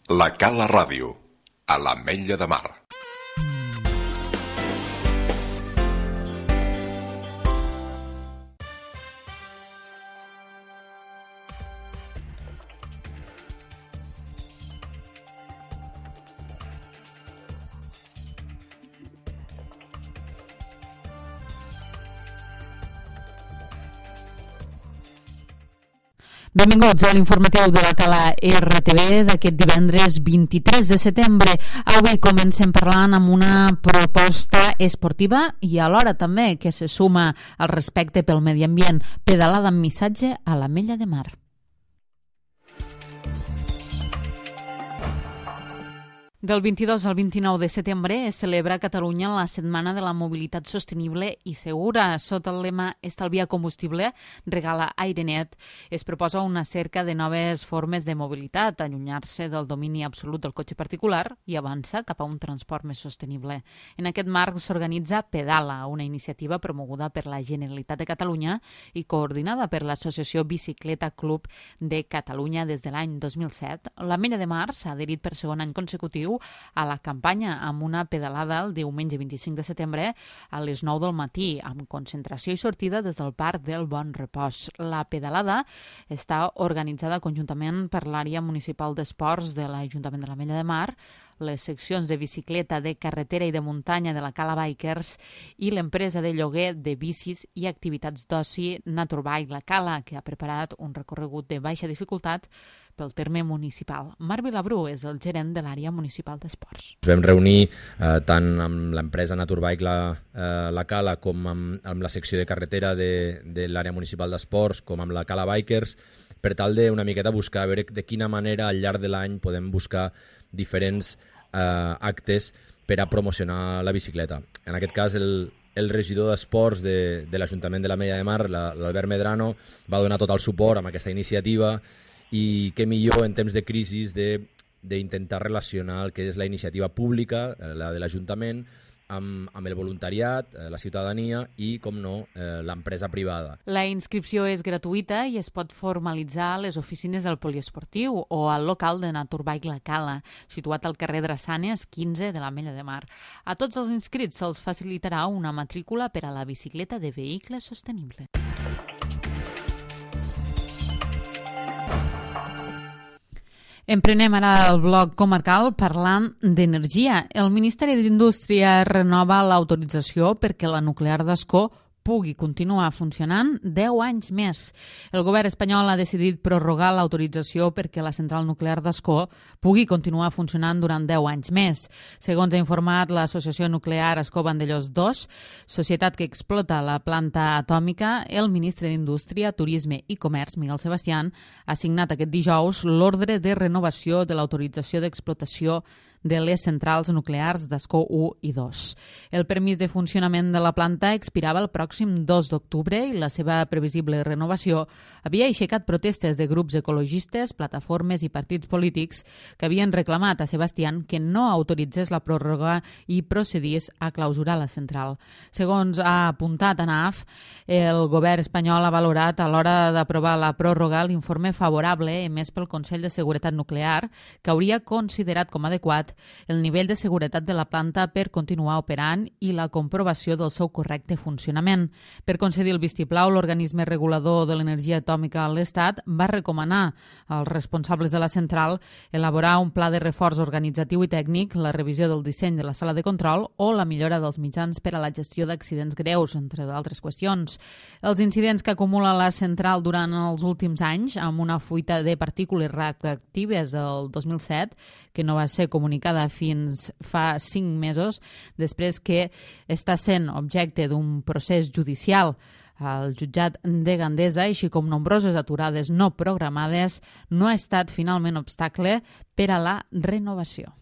La Cala Ràdio, a l'Ametlla de Mar. Benvinguts a l'informatiu de la Cala RTV d'aquest divendres 23 de setembre. Avui comencem parlant amb una proposta esportiva i alhora també que se suma al respecte pel medi ambient, pedalada amb missatge a l'Ametlla de Mar. Del 22 al 29 de setembre es celebra a Catalunya la Setmana de la Mobilitat Sostenible i Segura. Sota el lema Estalvia combustible, regala aire net, es proposa una cerca de noves formes de mobilitat, allunyar-se del domini absolut del cotxe particular i avançar cap a un transport més sostenible. En aquest marc s'organitza Pedala, una iniciativa promoguda per la Generalitat de Catalunya i coordinada per l'Associació Bicicleta Club de Catalunya des de l'any 2007. L'Ametlla de Mar s'ha adherit per segon any consecutiu a la campanya amb una pedalada el diumenge 25 de setembre a les 9 del matí, amb concentració i sortida des del Parc del Bon Repòs. La pedalada està organitzada conjuntament per l'àrea municipal d'esports de l'Ajuntament de l'Ametlla de Mar, les seccions de bicicleta, de carretera i de muntanya de la Cala Bikers i l'empresa de lloguer de bicis i activitats d'oci Naturbike La Cala, que ha preparat un recorregut de baixa dificultat pel terme municipal. Marc Vilabrú és el gerent de l'àrea municipal d'esports. Ens vam reunir tant amb l'empresa Naturbike La Cala com amb la secció de carretera de l'àrea municipal d'esports com amb la Cala Bikers per tal de una miqueta buscar a veure de quina manera al llarg de l'any podem buscar diferents actes per a promocionar la bicicleta. En aquest cas, el regidor d'Esports de l'Ajuntament de l'Ametlla de Mar, l'Albert Medrano, va donar tot el suport amb aquesta iniciativa i què millor en temps de crisi d'intentar relacionar el que és la iniciativa pública, la de l'Ajuntament, amb el voluntariat, la ciutadania i, com no, l'empresa privada. La inscripció és gratuïta i es pot formalitzar a les oficines del poliesportiu o al local de Naturbike La Cala, situat al carrer Drassanes 15 de l'Ametlla de Mar. A tots els inscrits se'ls facilitarà una matrícula per a la bicicleta de vehicle sostenible. Emprenem ara el bloc comarcal parlant d'energia. El Ministeri d'Indústria renova l'autorització perquè la nuclear d'Ascó pugui continuar funcionant 10 anys més. El govern espanyol ha decidit prorrogar l'autorització perquè la central nuclear d'Ascó pugui continuar funcionant durant 10 anys més. Segons ha informat l'Associació Nuclear Ascó Vandellòs II, societat que explota la planta atòmica, el ministre d'Indústria, Turisme i Comerç, Miguel Sebastián, ha signat aquest dijous l'ordre de renovació de l'autorització d'explotació de les centrals nuclears d'Ascó 1 i 2. El permís de funcionament de la planta expirava el pròxim 2 d'octubre i la seva previsible renovació havia aixecat protestes de grups ecologistes, plataformes i partits polítics que havien reclamat a Sebastián que no autoritzés la pròrroga i procedís a clausurar la central. Segons ha apuntat ANAF, el govern espanyol ha valorat a l'hora d'aprovar la pròrroga l'informe favorable emès pel Consell de Seguretat Nuclear, que hauria considerat com adequat el nivell de seguretat de la planta per continuar operant i la comprovació del seu correcte funcionament. Per concedir el vistiplau, l'organisme regulador de l'energia atòmica a l'Estat va recomanar als responsables de la central elaborar un pla de reforç organitzatiu i tècnic, la revisió del disseny de la sala de control o la millora dels mitjans per a la gestió d'accidents greus, entre d'altres qüestions. Els incidents que acumula la central durant els últims anys, amb una fuita de partícules radioactives el 2007, que no va ser comunicada fins fa 5 mesos, després que està sent objecte d'un procés judicial al jutjat de Gandesa, així com nombroses aturades no programades, no ha estat finalment obstacle per a la renovació.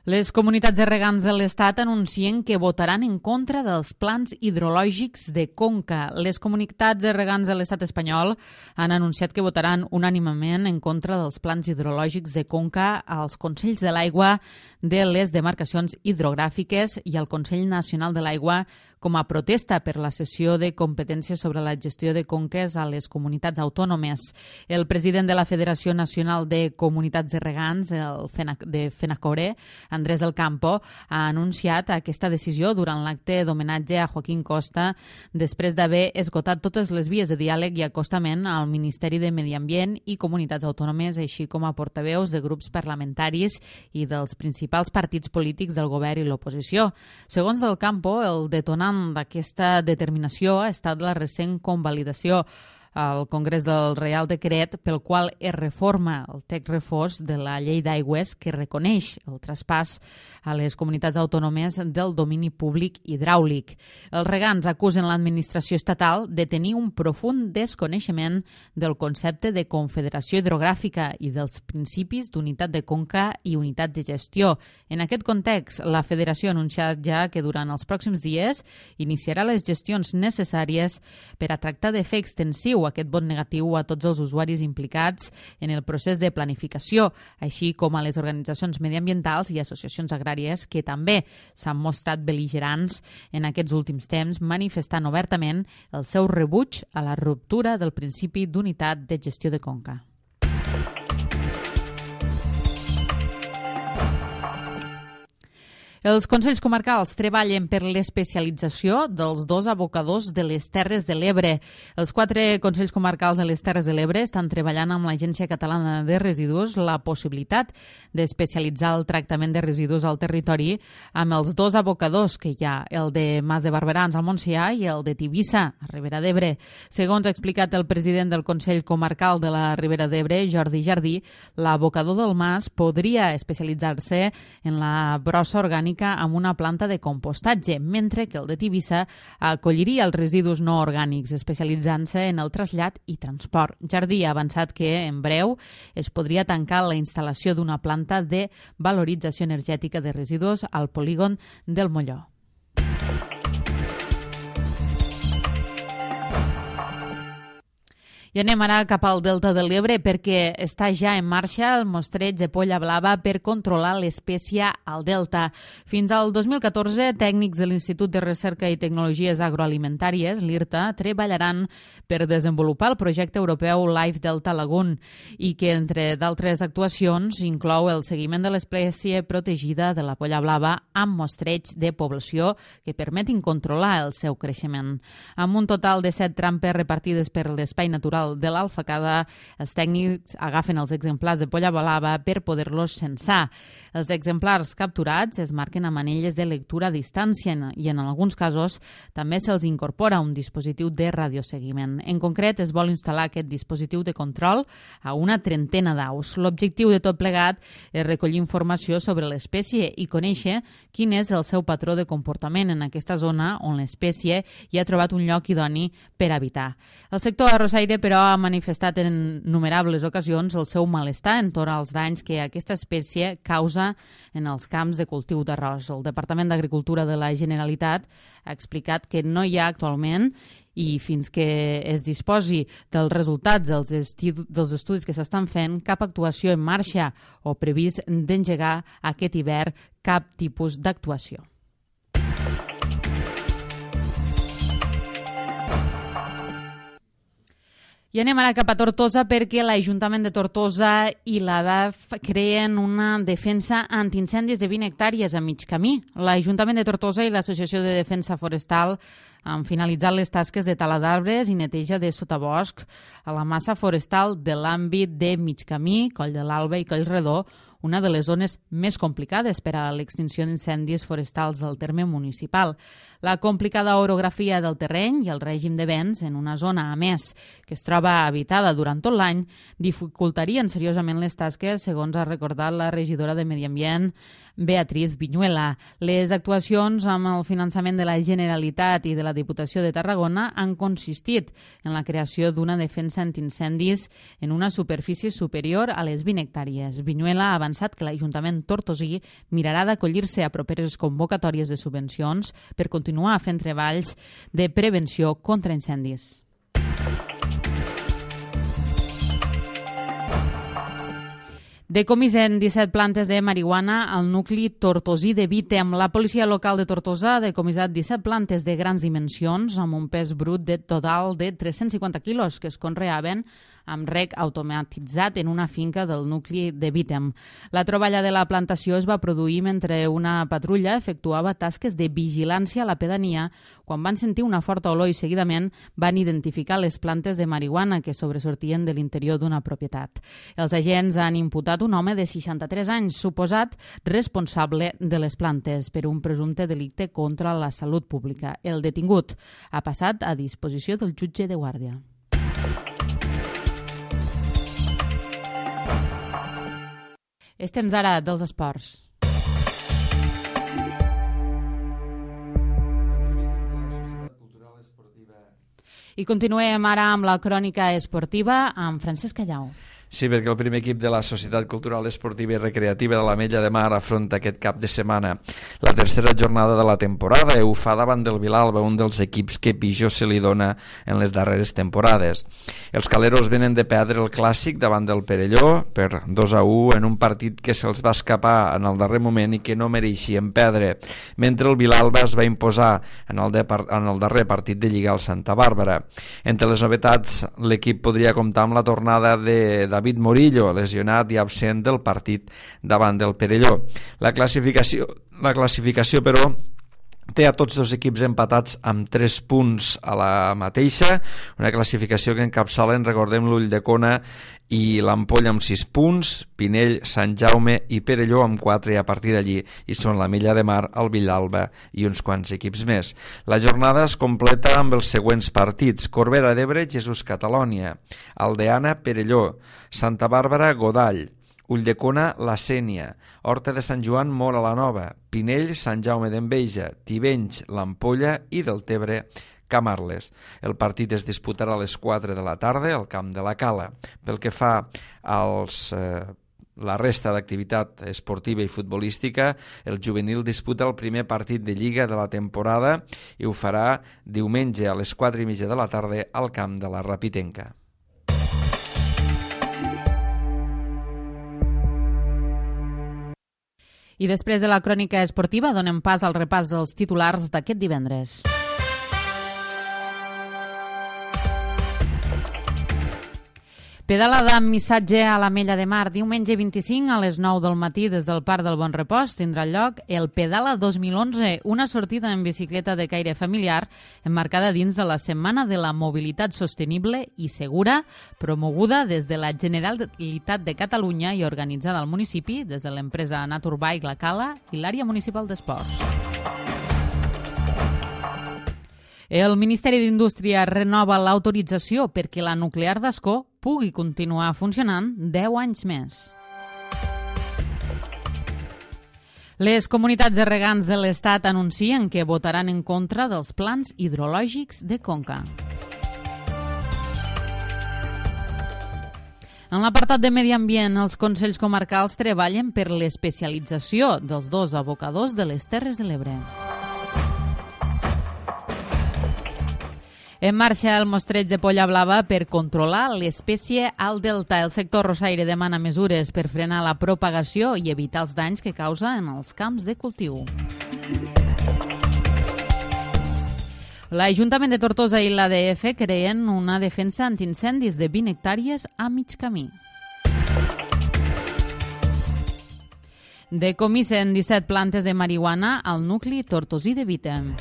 Les comunitats de regants de l'Estat anuncien que votaran en contra dels plans hidrològics de Conca. Les comunitats de regants de l'Estat espanyol han anunciat que votaran unànimement en contra dels plans hidrològics de Conca als Consells de l'Aigua de les demarcacions hidrogràfiques i al Consell Nacional de l'Aigua com a protesta per la cessió de competències sobre la gestió de conques a les comunitats autònomes. El president de la Federació Nacional de Comunitats de Regants, de FENACORE, Andrés del Campo, ha anunciat aquesta decisió durant l'acte d'homenatge a Joaquín Costa després d'haver esgotat totes les vies de diàleg i acostament al Ministeri de Medi Ambient i Comunitats Autònomes, així com a portaveus de grups parlamentaris i dels principals partits polítics del govern i l'oposició. Segons del Campo, el detonant d'aquesta determinació ha estat la recent convalidació al Congrés del Reial Decret pel qual es reforma el text refós de la llei d'aigües que reconeix el traspàs a les comunitats autònomes del domini públic hidràulic. Els regants acusen l'administració estatal de tenir un profund desconeixement del concepte de confederació hidrogràfica i dels principis d'unitat de conca i unitat de gestió. En aquest context, la Federació ha anunciat ja que durant els pròxims dies iniciarà les gestions necessàries per a tractar de fer extensiu aquest vot negatiu a tots els usuaris implicats en el procés de planificació, així com a les organitzacions mediambientals i associacions agràries que també s'han mostrat bel·ligerants en aquests últims temps, manifestant obertament el seu rebuig a la ruptura del principi d'unitat de gestió de conca. Els Consells Comarcals treballen per l'especialització dels 2 abocadors de les Terres de l'Ebre. Els 4 Consells Comarcals de les Terres de l'Ebre estan treballant amb l'Agència Catalana de Residus la possibilitat d'especialitzar el tractament de residus al territori amb els 2 abocadors que hi ha, el de Mas de Barberans al Montsià i el de Tivissa, a Ribera d'Ebre. Segons ha explicat el president del Consell Comarcal de la Ribera d'Ebre, Jordi Jardí, l'abocador del Mas podria especialitzar-se en la brossa orgànica amb una planta de compostatge, mentre que el de Tivissa acolliria els residus no orgànics, especialitzant-se en el trasllat i transport. Jardí ha avançat que, en breu, es podria tancar la instal·lació d'una planta de valorització energètica de residus al polígon del Molló. I anem ara cap al Delta de l'Ebre perquè està ja en marxa el mostreig de polla blava per controlar l'espècie al Delta. Fins al 2014, tècnics de l'Institut de Recerca i Tecnologies Agroalimentàries, l'IRTA, treballaran per desenvolupar el projecte europeu Life Delta Lagoon i que, entre d'altres actuacions, inclou el seguiment de l'espècie protegida de la polla blava amb mostreig de població que permetin controlar el seu creixement. Amb un total de 7 trampes repartides per l'espai natural de l'Alfacada, els tècnics agafen els exemplars de polla blava per poder-los censar. Els exemplars capturats es marquen amb anelles de lectura a distància i en alguns casos també se'ls incorpora un dispositiu de radioseguiment. En concret, es vol instal·lar aquest dispositiu de control a una trentena d'aus. L'objectiu de tot plegat és recollir informació sobre l'espècie i conèixer quin és el seu patró de comportament en aquesta zona on l'espècie hi ha trobat un lloc idoni per habitar. El sector arrossaire, però, ha manifestat en innumerables ocasions el seu malestar entorn als danys que aquesta espècie causa en els camps de cultiu d'arròs. El Departament d'Agricultura de la Generalitat ha explicat que no hi ha actualment i fins que es disposi dels resultats dels estudis que s'estan fent, cap actuació en marxa o previst d'engegar aquest hivern cap tipus d'actuació. I anem ara cap a Tortosa perquè l'Ajuntament de Tortosa i l'ADAF creen una defensa antiincendis de 20 hectàrees a mig camí. L'Ajuntament de Tortosa i l'Associació de Defensa Forestal han finalitzat les tasques de tala d'arbres i neteja de sotabosc a la massa forestal de l'àmbit de mig camí, Coll de l'Alba i Coll Redó, una de les zones més complicades per a l'extinció d'incendis forestals del terme municipal. La complicada orografia del terreny i el règim de vents en una zona, a més, que es troba habitada durant tot l'any, dificultarien seriosament les tasques, segons ha recordat la regidora de Medi Ambient, Beatriz Viñuela. Les actuacions amb el finançament de la Generalitat i de la Diputació de Tarragona han consistit en la creació d'una defensa antiincendis en una superfície superior a les 20 hectàrees. Viñuela ha avançat avançat que l'Ajuntament tortosí mirarà d'acollir-se a properes convocatòries de subvencions per continuar fent treballs de prevenció contra incendis. Decomisen 17 plantes de marihuana al nucli tortosí de Vítem. La policia local de Tortosa ha decomissat 17 plantes de grans dimensions amb un pes brut de total de 350 quilos que es conreaven amb rec automatitzat en una finca del nucli de Vítem. La troballa de la plantació es va produir mentre una patrulla efectuava tasques de vigilància a la pedania quan van sentir una forta olor i seguidament van identificar les plantes de marihuana que sobresortien de l'interior d'una propietat. Els agents han imputat un home de 63 anys, suposat responsable de les plantes per un presumpte delicte contra la salut pública. El detingut ha passat a disposició del jutge de guàrdia. És temps ara dels esports. I continuem ara amb la crònica esportiva amb Francesc Callau. Sí, perquè el primer equip de la Societat Cultural Esportiva i Recreativa de l'Ametlla de Mar afronta aquest cap de setmana la tercera jornada de la temporada i ho fa davant del Vilalba, un dels equips que pitjor se li dona en les darreres temporades. Els caleros venen de perdre el clàssic davant del Perelló per 2-1 en un partit que se'ls va escapar en el darrer moment i que no mereixien perdre, mentre el Vilalba es va imposar en el darrer partit de Lliga al Santa Bàrbara. Entre les novetats, l'equip podria comptar amb la tornada de David Morillo, lesionat i absent del partit davant del Perelló. La classificació, però, té a tots dos equips empatats amb 3 punts a la mateixa, una classificació que encapçalen, recordem, l'Ulldecona i l'Ampolla amb 6 punts, Pinell, Sant Jaume i Perelló amb 4 i a partir d'allí hi són l'Ametlla de Mar, el Vilalba i uns quants equips més. La jornada es completa amb els següents partits: Corbera d'Ebre, Jesús Catalònia, Aldeana, Perelló, Santa Bàrbara, Godall, Ulldecona, La Sénia, Horta de Sant Joan, Móra la Nova, Pinell, Sant Jaume d'Enveja, Tivenys, l'Ampolla i Deltebre, Camarles. El partit es disputarà a les 4 de la tarda al camp de la Cala. Pel que fa la resta d'activitat esportiva i futbolística, el juvenil disputa el primer partit de Lliga de la temporada i ho farà diumenge a les 4:30 de la tarda al camp de la Rapitenca. I després de la crònica esportiva donem pas al repàs dels titulars d'aquest divendres. Pedalada amb missatge a l'Ametlla de Mar. Diumenge 25 a les 9 del matí des del Parc del Bon Repòs tindrà lloc el Pedala 2011, una sortida en bicicleta de caire familiar emmarcada dins de la Setmana de la Mobilitat Sostenible i Segura, promoguda des de la Generalitat de Catalunya i organitzada al municipi des de l'empresa Naturbike La Cala i l'àrea municipal d'esports. El Ministeri d'Indústria renova l'autorització perquè la nuclear d'Ascó pugui continuar funcionant 10 anys més. Les comunitats de regants de l'Estat anuncien que votaran en contra dels plans hidrològics de Conca. En l'apartat de Medi Ambient, els Consells Comarcals treballen per l'especialització dels 2 abocadors de les Terres de l'Ebre. En marxa el mostreig de polla blava per controlar l'espècie al delta. El sector rossaire demana mesures per frenar la propagació i evitar els danys que causa en els camps de cultiu. L'Ajuntament de Tortosa i l'ADF creen una defensa antiincendis de 20 hectàrees a mig camí. Decomisen 17 plantes de marihuana al nucli tortosí de Vítem.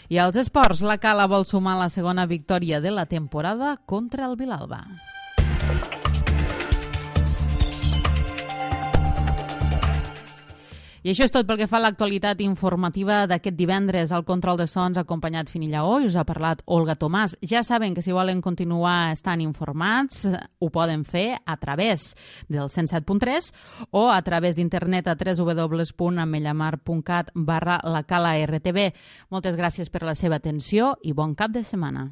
I als esports, la Cala vol sumar la segona victòria de la temporada contra el Vilalba. I això és tot pel que fa a l'actualitat informativa d'aquest divendres. Al control de sons ha acompanyat Fini Lleó i us ha parlat Olga Tomàs. Ja saben que si volen continuar estant informats ho poden fer a través del 107.3 o a través d'internet a www.amellamar.cat/lacala RTV. Moltes gràcies per la seva atenció i bon cap de setmana.